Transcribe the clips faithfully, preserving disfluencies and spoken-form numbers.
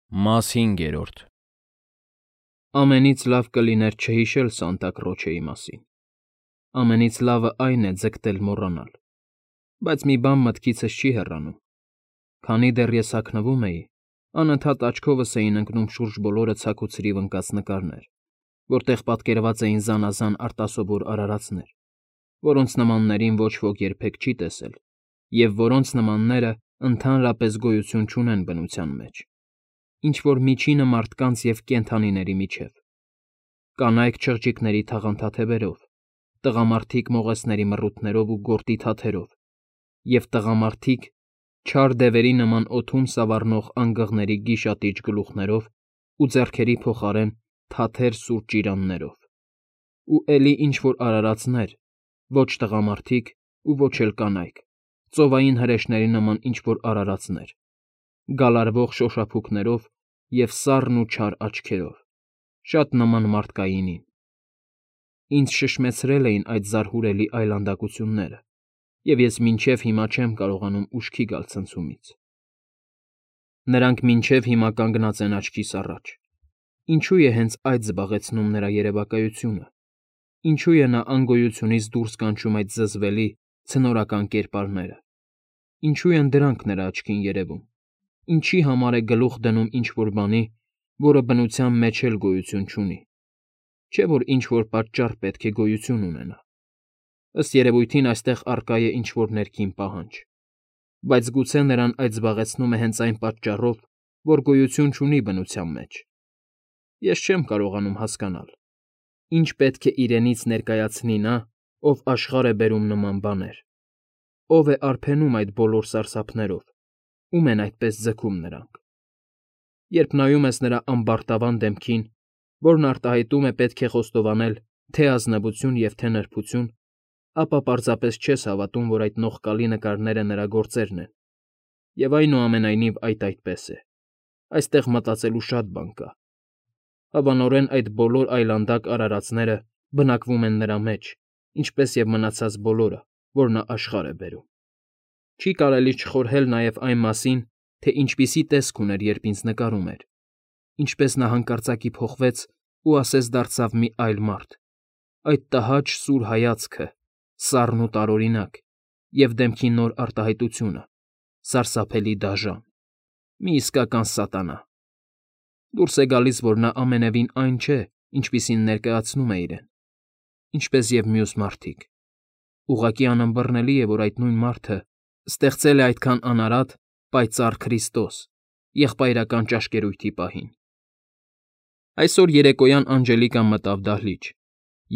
Մաս հինգերորդ Ամենից լավ կլիներ չհիշել Սանտա Կրոչեի մասին, ամենից լավը այն է ձգտել մոռանալ, բայց մի բան մտքիցս չի հեռանում. քանի դեռ ես հագնվում էի, անընդհատ աչքովս էին ընկնում շուրջբոլորը ցաք ու ցրիվ ընկած նկարներ, որտեղ պատկերված էին զանազան արտասովոր արարածներ, որոնց նմաններին ոչ ոք երբեք չի տեսել և որոնց նմաններն ընդհանրապես գոյություն չունեն բնության մեջ, ինչ֊որ միջինը մարդկանց և կենդանիների միջև, կանայք չղջիկների թաղանթաթևերով, տղամարդիկ մողեսների մռութներով ու գորտի թաթերով, և տղամարդիկ չար դևերի նման օդում սավառնող անգղների գիշատիչ գլուխներով ու ձեռքերի փոխարեն թաթեր սուր ճիրաններով, ու էլի ինչ֊որ արարածներ, ոչ տղամարդիկ ու ոչ էլ կանայք, ծովային հրեշների նման ինչ֊որ արարածներ, գալարվող շոշափուկներով և սառն ու չար աչքերով, շատ նման մարդկայինին. ինձ շշմեցրել էին այդ զարհուրելի այլանդակությունները, և ես մինչև հիմա չեմ կարողանում ուշքի գալ ցնցումից։ Նրանք մինչև հիմա կանգնած են աչքիս առաջ. ինչո՞ւ է հենց այդ զբաղեցնում նրա երևակայությունը, ինչո՞ւ է նա անգոյությունից դուրս կանչում այդ զզվելի, ցնորական կերպարները, ինչո՞ւ են դրանք նրա աչքին երևում, ինչի համար է գլուխ դնում ինչ֊որ բանի, որը բնության մեջ էլ գոյություն չունի, չէ՞ որ ինչ֊որ պատճառ պետք է գոյություն ունենա։ Ըստ երևույթին այստեղ առկա է ինչ֊որ ներքին պահանջ, բայց գուցե նրան այդ զբաղեցնում է հենց այն պատճառով, որ գոյություն չունի բնության մեջ։ Ես չեմ կարողանում հասկանալ՝ ինչ պետք է իրենից ներկայացնի նա, ով աշխարհ է բերում նման բաներ, ով է արբենում այդ բոլոր սարսափներով, ում են այդպես ձգում նրանք։ Երբ նայում ես նրա ամբարտավան դեմքին, որն արտահայտում է պետք է խոստովանել թե ազնվություն և թե նրբություն, ապա պարզապես չես հավատում, որ այդ նողկալի նկարները նրա գործերն են, և այնուամենայնիվ այդ այդպես է, այստեղ մտածելու շատ բան կա։ Հավանորեն այդ բոլոր այլանդակ արարածները բնակվում են նրա մեջ, ինչպես և մնացած բոլորը, որ նա աշխարհ է բերում։ Չի կարելի չխորհել նաև այն մասին, թե ինչպիսի տեսք ուներ, երբ ինձ նկարում էր, ինչպես նա հանկարծակի փոխվեց ու ասես դարձավ մի այլ մարդ, այդ տհաճ սուր հայացքը, սառն ու տարօրինակ, և դեմքի նոր արտահայտությունը, սարսափելի դաժան, մի իսկական սատանա։ Դուրս է գալիս, որ նա ամենևին այն չէ, ինչպիսին ներկայացնում է իրեն, ինչպես և մյուս մարդիկ։ Ուղղակի անըմբռնելի է, որ այդ նույն մարդը ստեղծել է այդքան անարատ, պայծառ Քրիստոս եղբայրական ճաշկերույթի պահին։ Այսօր երեկոյան Անջելիկան մտավ դահլիճ,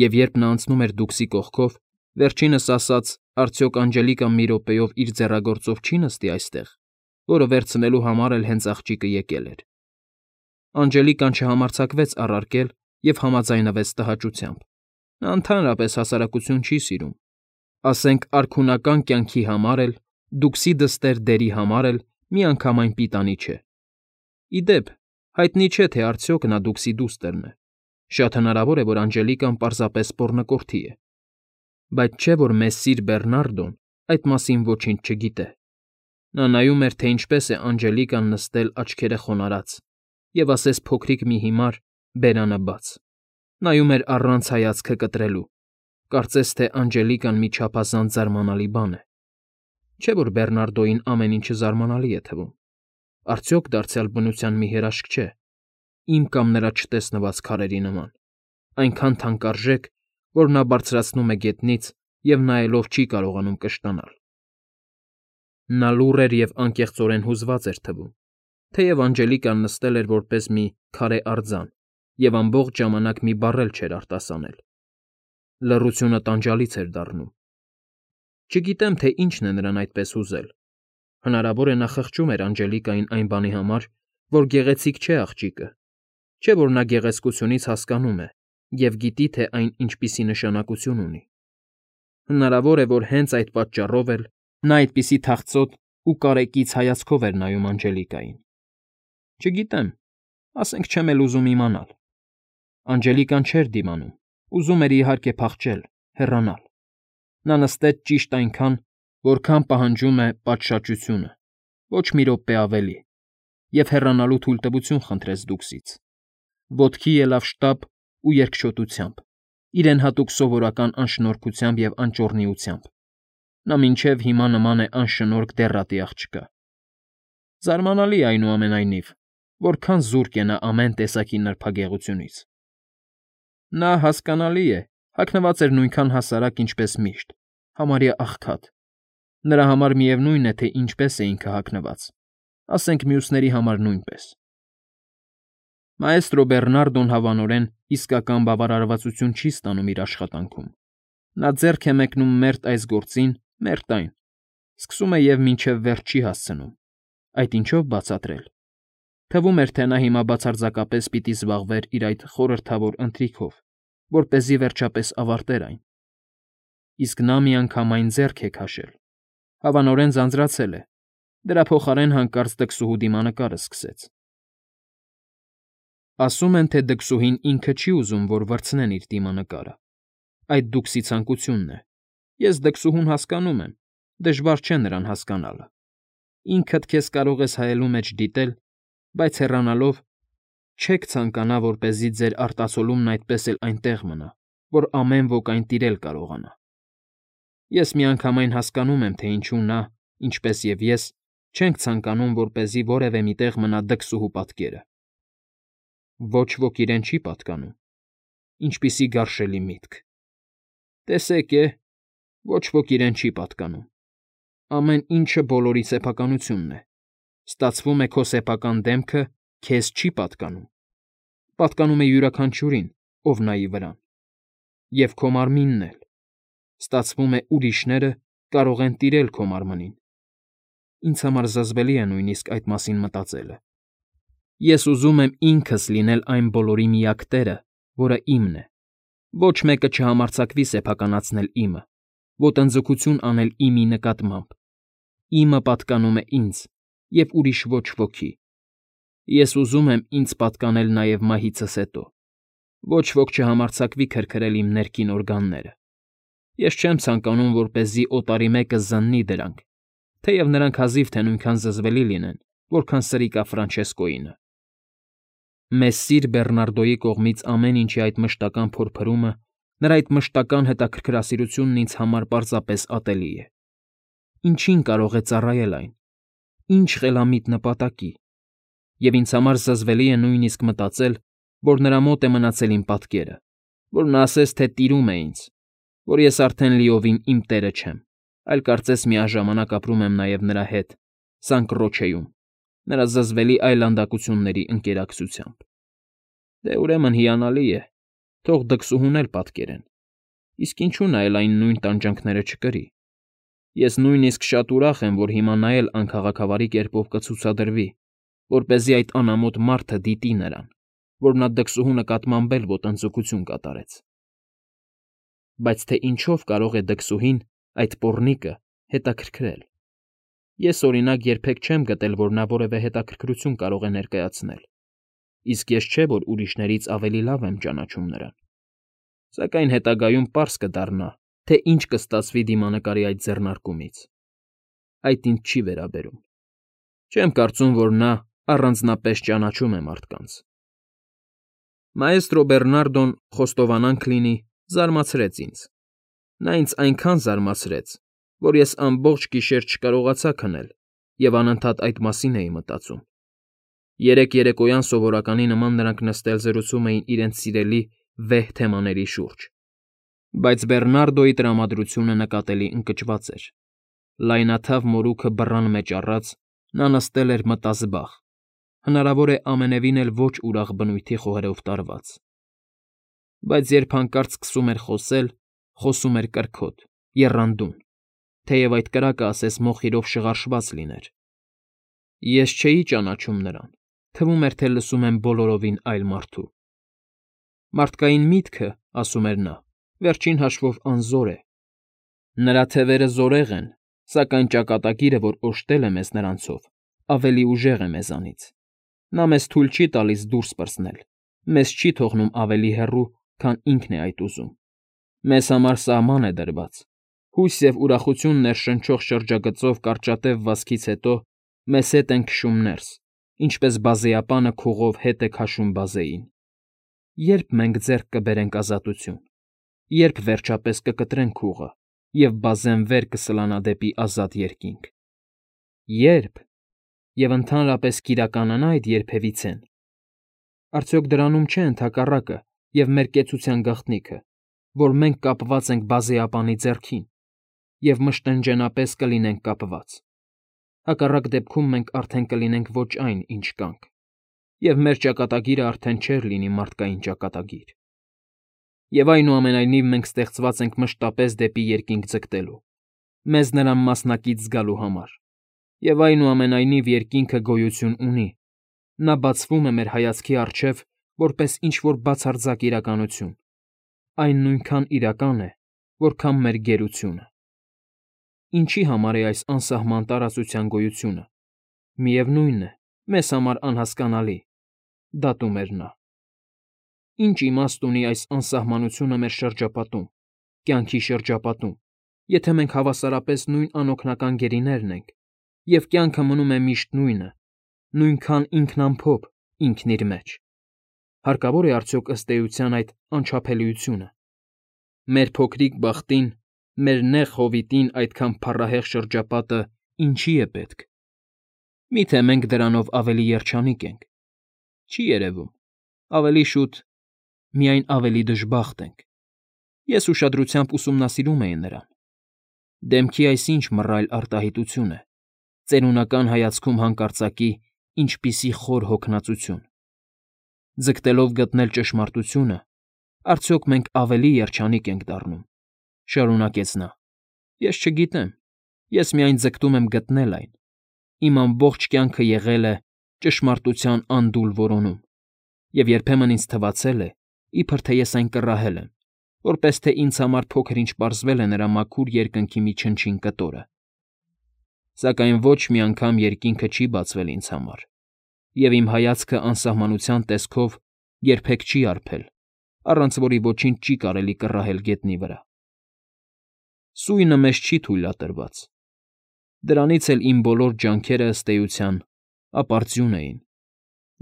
և երբ նա անցնում էր դուքսի կողքով, վերջինս ասաց՝ արդյոք Անջելիկան մի րոպեով իր ձեռագործով չի նստի այստեղ, որը վերցնելու համար էլ հենց աղջիկը եկել էր։ Անջելիկան չհամարձակվեց առարկել և համաձայնվեց տհաճությամբ. նա ընդհանրապես հասարակություն չի սիրում, ասենք արքունական կյանքի համար էլ, դուքսի դստեր դերի համար էլ միանգամայն պիտանի չէ։ Ի դեպ, հայտնի չէ, թե արդյոք նա դուքսի դուստրն է, շատ հնարավոր է, որ Անջելիկան պարզապես պոռնկորդի է, բայց չէ՞ որ մեսսիր Բերնարդոն այդ մասին ոչինչ չգիտե։ Նա նայում էր, թե ինչպես է Անջելիկան նստել աչքերը խոնարհած և ասես փոքրիկ մի հիմար, բերանը բաց, նայում էր առանց հայացքը կտրելու, կարծես թե Անջելիկան մի չափազանց զարմանալի բան է։ Չէ՞ որ Բերնարդոյին ամեն ինչը զարմանալի է թվում, արդյոք դարձյալ բնության մի հրաշք չէ, իմ կամ նրա չտեսնված քարերի նման, այնքան թանկարժեք, որ նա բարձրացնում է գետնից և նայելով չի կարողանում կշտանալ։ Նա լուռ էր և անկեղծորեն հուզված էր թվում, թեև Անջելիկան նստել էր որպես մի քարե արձան և ամբողջ ժամանակ մի բառ էլ չէր արտասանել։ Լռությունը տանջալից էր դառնում։ Չգիտեմ, թե ինչն է նրան այդպես հուզել։ Հնարավոր է նա խղճում էր Անջելիկային այն բանի համար, որ գեղեցիկ չէ աղջիկը, չէ՞ որ նա գեղեցկությունից հասկանում է և գիտի, թե այն ինչպիսի նշանակություն ունի։ Հնարավոր է, որ հենց այդ պատճառով էլ նա այդպիսի թախծոտ ու կարեկից հայացքով էր նայում Անջելիկային։ Չգիտեմ, ասենք չեմ էլ ուզում իմանալ։ Անջելիկան չէր դիմանում, ուզում էր, իհարկե, փախչել, հեռանալ։ Նա նստեց ճիշտ այնքան, որքան պահանջում է պատշաճությունը, ոչ մի րոպե ավելի, և հեռանալու թույլտվություն խնդրեց դուքսից, ոտքի ելավ շտապ ու երկչոտությամբ, իրեն հատուկ սովորական անշնորհքությամբ և անճոռնիությամբ. նա մինչև հիմա նման է անշնորհք դեռատի աղջկա։ Զարմանալի է, այնուամենայնիվ, որքան զուրկ է նա ամեն տեսակի նրբագեղությունից։ Նա, հասկանալի է, հագնված էր նույնքան հասարակ, ինչպես միշտ, համարյա աղքատ. նրա համար միևնույն է, թե ինչպես է ինքը հագնված, ասենք մյուսների համար նույնպես։ Մայստրո Բեռնարդոն հավանորեն իսկական բավարարվածություն չի ստանում իր աշխատանքում. նա ձեռք է մեկնում մերթ այս գործին, մերթ այն, սկսում է և մինչև վերջ չի հասցնում։ Այդ ինչո՞վ բացատրել։ Թվում էր, թե նա հիմա բացարձակապես պիտի զբաղվեր իր այդ խորհրդավոր ընթրիքով, որպեսզի վերջապես ավարտեր այն։ Իսկ նա միանգամայն ձեռք է քաշել, հավանորեն ձանձրացել է, դրա փոխարեն հանկարծ դքսուհու դիմանկարը սկսեց։ Ասում են, թե դքսուհին ինքը չի ուզում, որ վրձնեն իր դիմանկարը։ Այդ դուքսի ցանկությունն է։ Ես դքսուհուն հասկանում եմ, դժվար չէ նրան հասկանալը։ Ինքդ քեզ կարող ես հայելու մեջ դիտել, բայց հեռանալով չեք ցանկանա, որպեսզի ձեր արտացոլումն այդպես էլ այնտեղ մնա, որ ամեն ոք այն տիրել կարողանա։ Ես միանգամայն հասկանում եմ, թե ինչու նա, ինչպես և ես, չենք ցանկանում, որպեսզի որևէ մի տեղ մնա դքսուհու պատկերը։ Ոչ ոք իրեն չի պատկանում։ Ինչպիսի գարշելի միտք։ Տեսեք է, ոչ ոք իրեն չի պատկանում։ Ամեն ինչը բոլորի սեփականությունն է։ Ստացվում է, քո սեփական դեմքը քեզ չի պատկանում։ Պատկանում է յուրաքանչյուրին, ով նայի վրան։ Եվ քո մարմինն էլ։ Ստացվում է, ուրիշները կարող են տիրել քո մարմնին։ Ինձ համար զզվելի է նույնիսկ այդ մասին մտածելը։ Ես ուզում եմ ինքս լինել այն բոլորի միակ տերը, որը իմն է։ Ոչ մեկը չհամարձակվի սեփականացնել իմը, ոտնձգություն անել իմի նկատմամբ։ Իմը պատկանում է ինձ, և ուրիշ ոչ ոքի։ Ես ուզում եմ ինձ պատկանել նաև մահիցս հետո։ Ոչ ոք չհամարձակվի քրքրել իմ ներքին օրգանները։ Ես չեմ ցանկանում, որպեսզի օտարի մեկը զննի դրանք, թեև նրանք հազիվ թե նույնքան զզվելի լինեն, որքան սրիկա Ֆրանչեսկոյինը։ Մեսսիր Բեռնարդոյի կողմից ամեն ինչի այդ մշտական փորփրումը, նրա այդ մշտական հետաքրքրասիրությունն ինձ համար պարզապես ատելի է։ Ինչին կարող է ծառայել այն։ Ինչ խելամիտ նպատակի։ Եվ ինձ համար զզվելի է նույնիսկ մտածել, որ նրա մոտ է մնացել իմ պատկերը, որ նա ասես թե տիրում է ինձ, որ ես արդեն լիովին իմ տերը չեմ, այլ կարծես միաժամանակ ապրում եմ նաև նրա հետ, Սանկռոչեում, նրա զզվելի այլանդակությունների ընկերակցությամբ։ Դե ուրեմն հիանալի է, թող դքսուհուն էլ պատկերեն, իսկ ինչու նա էլ այն նույն տանջանքները չկրի։ Ես նույնիսկ շատ ուրախ եմ, որ հիմա նա էլ անքաղաքավարի կերպով կցուցադրվի, որպեսզի այդ անամոթ մարդը դիտի նրան, որ նա դքսուհու նկատմամբ էլ ոտնձգություն կատարեց։ Բայց թե ինչով կարող է դքսուհին, այդ պոռնիկը, հետաքրքրել։ Ես, օրինակ, երբեք չեմ գտել, որ նա որևէ հետաքրքրություն կարող է ներկայացնել, իսկ ես չէ, որ ուրիշներից ավելի լավ եմ ճանաչում նրան։ Սակայն հետագայում պարզ կդառնա, թե ինչ կստացվի դիմանկարի այդ ձեռնարկումից։ Այդ ինձ չի վերաբերում։ Չեմ կարծում, որ նա առանձնապես ճանաչում է մարդկանց։ Մայստրո Բեռնարդոն, խոստովանանք լինի, զարմացրեց ինձ։ Նա ինձ այնքան զարմացրեց, որ ես ամբողջ գիշեր չկարողացա քնել և անընդհատ այդ մասին էի մտածում։ Երեկ երեկոյան սովորականի նման նրանք նստել զրուցում էին իրենց սիրելի վեհ թեմաների շուրջ։ Բայց Բեռնարդոյի տրամադրությունը նկատելի ընկճված էր։ Լայնաթավ մորուքը բռան մեջ առած, նա նստել էր մտազբաղ, հնարավոր է ամենևին էլ ոչ ուրախ բնույթի խոհերով տարված։ Բայց երբ հանկարծ սկսում էր խոսել, խոսում էր կրքոտ, եռանդուն, թեև այդ կրակը ասես մոխիրով շղարշված լիներ։ Ես չէի ճանաչում նրան, թվում էր, թե լսում եմ բոլորովին այլ մարդու։ Մարդկային միտքը, ասում էր նա, վերջին հաշվով անզոր է։ Նրա թևերը զորեղ են, սակայն ճակատագիրը, որ օժտել է մեզ նրանցով, ավելի ուժեղ է մեզանից։ Նա մեզ թույլ չի տալիս դուրս պրծնել, մեզ չի թողնում ավելի հեռու, քան ինքն է այդ ուզում։ Մեզ համար սահման է դրված։ Հույս և ուրախություն ներշնչող շրջագծով կարճատև վազքից հետո մեզ հետ են քշում ներս, ինչպես բազեապանը քուղով հետ է քաշում բազեին։ Ե՞րբ մենք ձեռք կբերենք ազատություն, երբ վերջապես կկտրենք քուղը, և բազեն վեր կսլանա դեպի ազատ երկինք։ Ե՞րբ, և ընդհանրապես կիրականանա՞ այդ երբևիցեն։ Արդյոք դրանում չէ ընդհակառակը և մեր կեցության գաղտնիքը, որ մենք կապված ենք բազեապանի ձեռքին և մշտնջենապես կլինենք կապված։ Հակառակ դեպքում մենք արդեն կլինենք ոչ այն, ինչ կանք, և մեր ճակատագիրը արդեն չէր լինի մարդկային ճակատագիր։ Եվ այնուամենայնիվ մենք ստեղծված ենք մշտապես դեպի երկինք ձգտելու, մեզ նրան մասնակից զգալու համար, և այնուամենայնիվ երկինքը գոյություն ունի, նա բացվում է մեր հայացքի առջև որպես ինչ֊որ բացարձակ իրականություն, այն նույնքան իրական է, որքան մեր գերությունը։ Ինչի համար է այս անսահման տարածության գոյությունը։ Միևնույն է, մեզ համար անհասկանալի, դատում էր նա։ Ինչ իմաստ ունի այս անսահմանությունը մեր շրջապատում, կյանքի շրջապատում, եթե մենք հավասարապես նույն անօգնական գերիներն ենք, և կյանքը մնում է միշտ նույնը, նույնքան ինքնամփոփ ինքն իր մեջ։ Հարկավո՞ր է արդյոք ըստ էության այդ անչափելիությունը։ Մեր փոքրիկ բախտին, մեր նեղ հովիտին այդքան փառահեղ շրջապատը ինչի՞ է պետք։ Մի՞թե մենք դրանով ավելի երջանիկ ենք։ Չի երևում, ավելի շուտ միայն ավելի դժբախտ ենք։ Ես ուշադրությամբ ուսումնասիրում էի նրան։ Դեմքի այս ինչ մռայլ արտահայտություն է, ծերունական հայացքում հանկարծակի ինչպիսի խոր հոգնածություն։ Ձգտելով գտնել ճշմարտությունը, արդյոք մենք ավելի երջանիկ ենք դառնում, շարունակեց նա։ Ես չգիտեմ, ես միայն ձգտում եմ գտնել այն։ Իմ ամբողջ կյանքը եղել է ճշմարտության անդուլ որոնում, և երբեմն ինձ թվացել է, իբր թե ես այն կռահել եմ, որպես թե ինձ համար փոքր֊ինչ պարզվել է նրա մաքուր երկնքի մի չնչին կտորը։ Սակայն ոչ մի անգամ երկինքը չի բացվել ինձ համար, և իմ հայացքը անսահմանության տեսքով երբեք չի արբել, առանց որի ոչինչ չի կարելի կռահել գետնի վրա։ Սույնը մեզ չի թույլատրված։ Դրանից էլ իմ բոլոր ջանքերը, ըստ էության, ապարդյուն էին։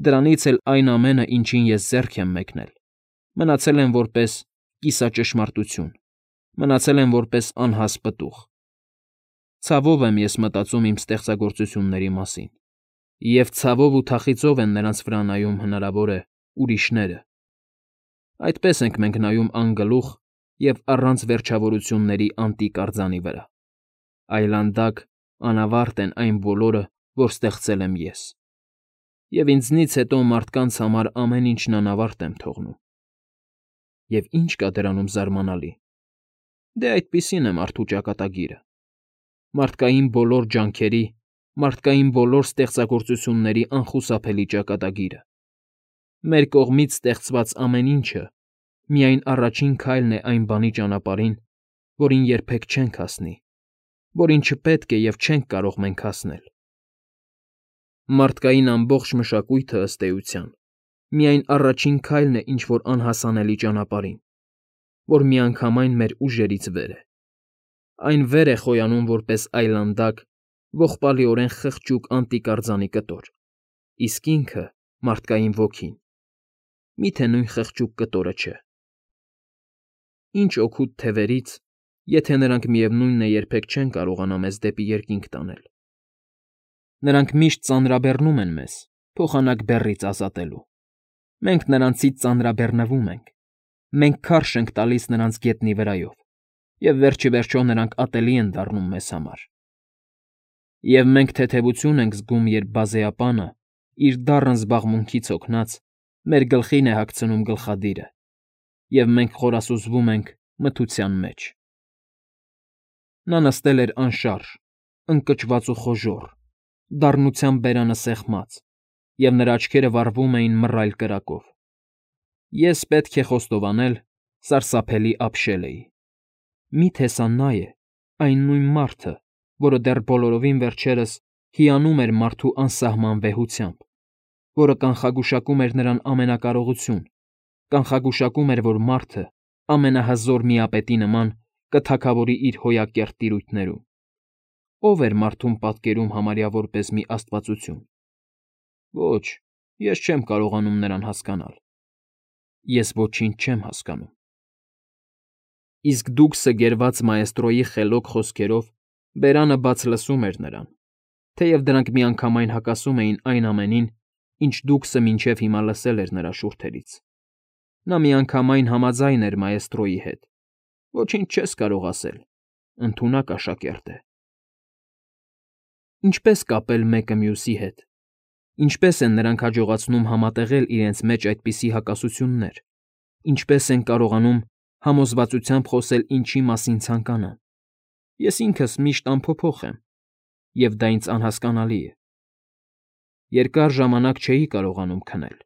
Դրանից էլ այն ամենը, ինչին ես ձեռք եմ մեկնել, մնացել են որպես կիսաճշմարտություն, մնացել են որպես անհաս պտուղ։ Ցավով եմ ես մտածում իմ ստեղծագործությունների մասին, և ցավով ու թախիծով են նրանց վրա նայում, հնարավոր է, ուրիշները։ Այդպես ենք մենք նայում անգլուխ և առանց վերջավորությունների անտիկ արձանի վրա։ Այլանդակ, անավարտ են այն բոլորը, որ ստեղծել եմ ես։ Եվ ինձնից հետո մարդկանց համար ամեն ինչն անավարտ եմ թողնում։ Եվ ի՞նչ կա դրանում զարմանալի։ Դե այդպիսին է մարդու ճակատագիրը։ Մարդկային բոլոր ջանքերի, մարդկային բոլոր ստեղծագործությունների անխուսափելի ճակատագիրը։ Մեր կողմից ստեղծված ամեն ինչը միայն առաջին քայլն է այն բանի ճանապարհին, որին երբեք չենք հասնի, որին չպետք է և չենք կարող մենք հասնել։ Մարդկային ամբողջ մշակույթը, ըստ էության, միայն առաջին քայլն է ինչ֊որ անհասանելի ճանապարհին, որ միանգամայն մեր ուժերից վեր է։ Այն վեր է խոյանում որպես այլանդակ, ողբալիորեն խղճուկ անտիկ արձանի կտոր, իսկ ինքը՝ մարդկային ոգին, մի՞թե նույն խղճուկ կտորը չէ։ Ինչ օգուտ թևերից, եթե նրանք միևնույն է երբեք չեն կարողանա մեզ դեպի երկինք տանել։ Նրանք միշտ ծանրաբեռնում են մեզ՝ փոխանակ բեռից ազատելու։ Մենք նրանցից ծանրաբեռնվում ենք, մենք քարշ ենք տալիս նրանց գետնի վրայով, և վերջիվերջո նրանք ատելի են դառնում մեզ համար։ Եվ մենք թեթևություն ենք զգում, երբ բազեապանը, իր դառն զբաղմունքից հոգնած, մեր գլխին է հագցնում գլխադիրը, և մենք խորասուզվում ենք մթության մեջ։ Նա նստել էր անշարժ, ընկճված ու խոժոռ, դառնությամբ բերանը սեղմած, և նրա աչքերը վառվում էին մռայլ կրակով։ Ես, պետք է խոստովանել, սարսափելի ապշել էի։ Մի՞թե սա նա է, այն նույն մարդը, որը դեռ բոլորովին վերջերս հիանում էր մարդու անսահման վեհությամբ, որը կանխագուշակում էր նրան ամենակարողություն, կանխագուշակում էր, որ մարդը, ամենահզոր միապետի նման, կթագավորի իր հոյակերտ տիրույթներում։ Ո՞վ էր մարդուն պատկերում համարյա որպես մի աստվածություն։ Ոչ, ես չեմ կարողանում նրան հասկանալ։ Ես ոչինչ չեմ հասկանում։ Իսկ Դուքսը գերված մայեստրոյի խելոք խոսքերով բերանը բաց լսում էր նրան, թեև դրանք միանգամայն հակասում էին այն ամենին, ինչ Դուքսը մինչև հիմա լսել էր նրա շուրթերից։ Նա միանգամայն համաձայն էր մայեստրոյի հետ։ Ոչինչ չես կարող ասել, ընդունակ աշակերտ է։ Ինչպե՞ս կապել մեկը մյուսի հետ։ Ինչպե՞ս են նրանք հաջողացնում համատեղել իրենց մեջ այդպիսի հակասություններ։ Ինչպե՞ս են կարողանում համոզվածությամբ խոսել ինչի մասին ցանկանան։ Ես ինքս միշտ անփոփոխ եմ, և դա ինձ անհասկանալի է։ Երկար ժամանակ չէի կարողանում քնել,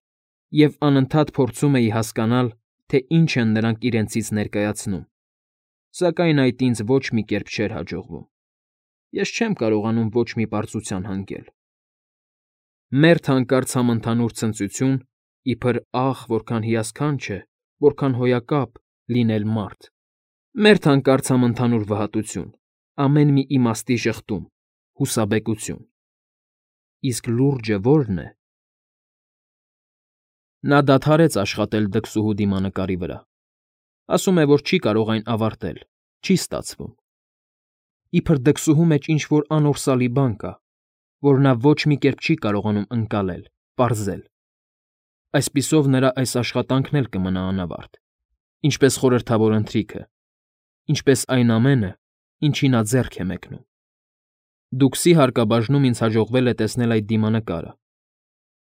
և անընդհատ փորձում էի հասկանալ, թե ինչ են նրանք իրենցից ներկայացնում, սակայն այդ ինձ ոչ մի կերպ չէր հաջողվում։ Ես չեմ կարողանում ոչ մի պարզության հանգել։ Մերթ հանկարծ համընդհանուր ցնծություն, իբր «ախ, որքան հիասքանչ է, որքան հոյակապ լինել մարդ»։ Մերթ հանկարծ համընդհանուր վհատություն, ամեն մի իմաստի ժխտում, հուսաբեկություն։ Իսկ լուրջը ո՞րն է։ Նա դադարեց աշխատել դքսուհու դիմանկարի վրա։ Ասում է, որ չի կարող այն ավարտել, չի ստացվում։ Իբր դքսուհու մեջ ինչ֊որ անորսալի բան կա, որ նա ոչ մի կերպ չի կարողանում ընկալել, պարզել։ Այսպիսով նրա այս աշխատանքն էլ կմնա անավարտ, ինչպես խորհրդավոր ընթրիքը, ինչպես այն ամենը, ինչի նա ձեռք է մեկնում։ Դուքսի հարկաբաժնում ինձ հաջողվել է տեսնել այդ դիմանկարը։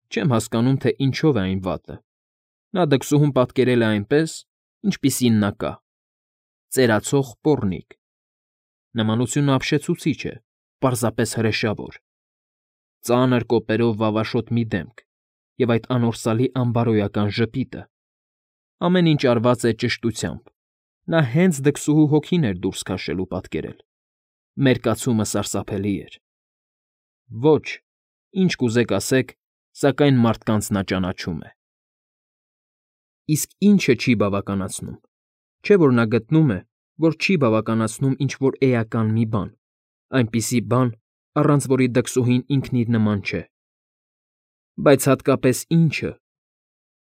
Չեմ հասկանում, թե ինչով է այն վատը։ Նա դքսուհուն պատկերել է այնպես, ինչպիսին նա կա՝ ծերացող պոռնիկ։ Նմանությունը ապշեցուցիչ է, պարզապես հրեշավոր։ Ծանր կոպերով վավաշոտ մի դեմք և այդ անորսալի անբարոյական ժպիտը։ Ամեն ինչ արված է ճշտությամբ, նա հենց դքսուհու հոգին էր դուրս քաշել ու պատկերել։ Մերկացումը սարսափելի էր։ Ոչ, ինչ կուզեք ասեք, սակայն մարդկանց նա ճանաչում է։ Իսկ ի՞նչը չի բավականացնում։ Չէ՞ որ նա գտնում է, որ չի բավականացնում ինչ֊որ էական մի բան, այնպիսի բան, առանց որի դքսուհին ինքն իր նման չէ։ Բայց հատկապես ի՞նչը։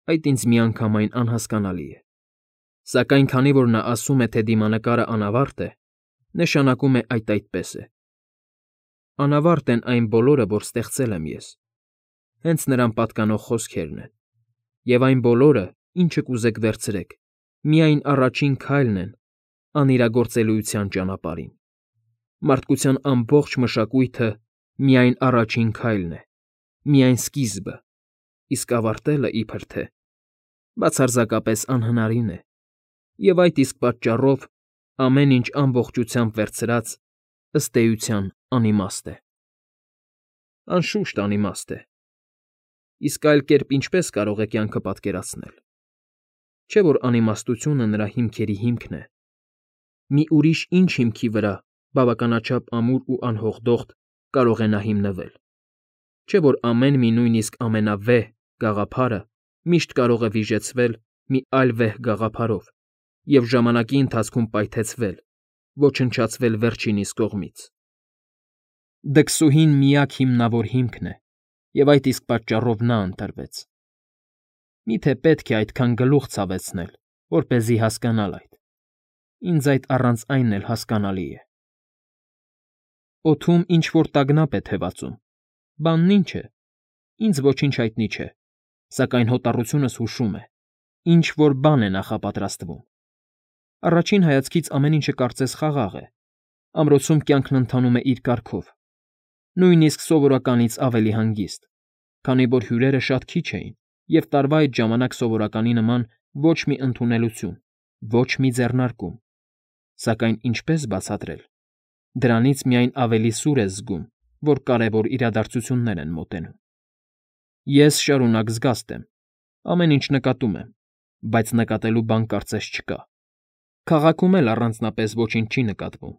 Այդ ինձ միանգամայն անհասկանալի է։ Սակայն քանի որ նա ասում է, թե դիմանկարը անավարտ է, նշանակում է այդ այդպես է։ Անավարտ են այն բոլորը, որ ստեղծել եմ ես։ Հենց նրան պատկանող խոսքերն են։ Եվ այն բոլորը, ինչը կուզեք վերցրեք, միայն առաջին քայլն են անիրագործելիության ճանապարհին։ Մարդկության ամբողջ մշակույթը միայն առաջին քայլն է, միայն սկիզբը, իսկ ավարտելը, իբր թե, բացարձակապես անհնարին է, և այդ իսկ պատճառով ամեն ինչ ամբողջությամբ վերցրած, ըստ էության, անիմաստ է։ Անշուշտ անիմաստ է։ Իսկ այլ կերպ ինչպե՞ս կարող է կյանքը պատկերացնել։ Չէ՞ որ անիմաստությունը նրա հիմքերի հիմքն է։ Մի ուրիշ ինչ հիմքի վրա, բավականաչափ ամուր ու անհողդոխտ, կարող է նա հիմնվել։ Չէ՞ որ ամեն մի նույնիսկ ամենավեհ գաղափարը միշտ կարող է վիժեցվել մի այլ վեհ գաղափարով և ժամանակի ընթացքում պայթեցվել, ոչնչացվել վերջինիս կողմից։ Դքսուհին միակ հիմնավոր հիմքն է, և այդ իսկ պատճառով նա ընտրվեց։ Մի՞թե պետք է այդքան գլուխ ցավեցնել, որպեսզի հասկանալ այդ։ Ինձ այդ առանց այն էլ հասկանալի է։ Օդում ինչ֊որ տագնապ է թևածում։ Բանն ի՞նչ է։ Ինձ ոչինչ հայտնի չէ, սակայն հոտառությունս հուշում է. ինչ֊որ բան է նախապատրաստվում։ Առաջին հայացքից ամեն ինչը կարծես խաղաղ է։ Ամրոցում կյանքն ընթանում է իր կարգով։ Նույնիսկ սովորականից ավելի հանգիստ, քանի որ հյուրերը շատ քիչ էին, և տարվա այդ ժամանակ սովորականի նման ոչ մի ընդունելություն, ոչ մի ձեռնարկում։ Սակայն ինչպե՞ս բացատրել։ Դրանից միայն ավելի սուր ես զգում, որ կարևոր իրադարձություններ են մոտենում։ Ես շարունակ զգաստ եմ։ Ամեն ինչ նկատում եմ, բայց նկատելու բան կարծես չկա։ Քաղաքում էլ առանձնապես ոչինչ չի նկատվում։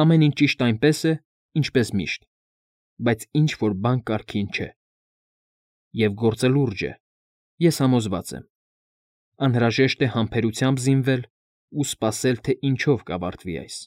Ամեն ինչ ճիշտ այնպես է, ինչպես միշտ, բայց ինչ֊որ բան կարգին չէ։ Եվ գործը լուրջ է, ես համոզված եմ։ Անհրաժեշտ է համբերությամբ զինվել ու սպասել, թե ինչով կավարտվի այս։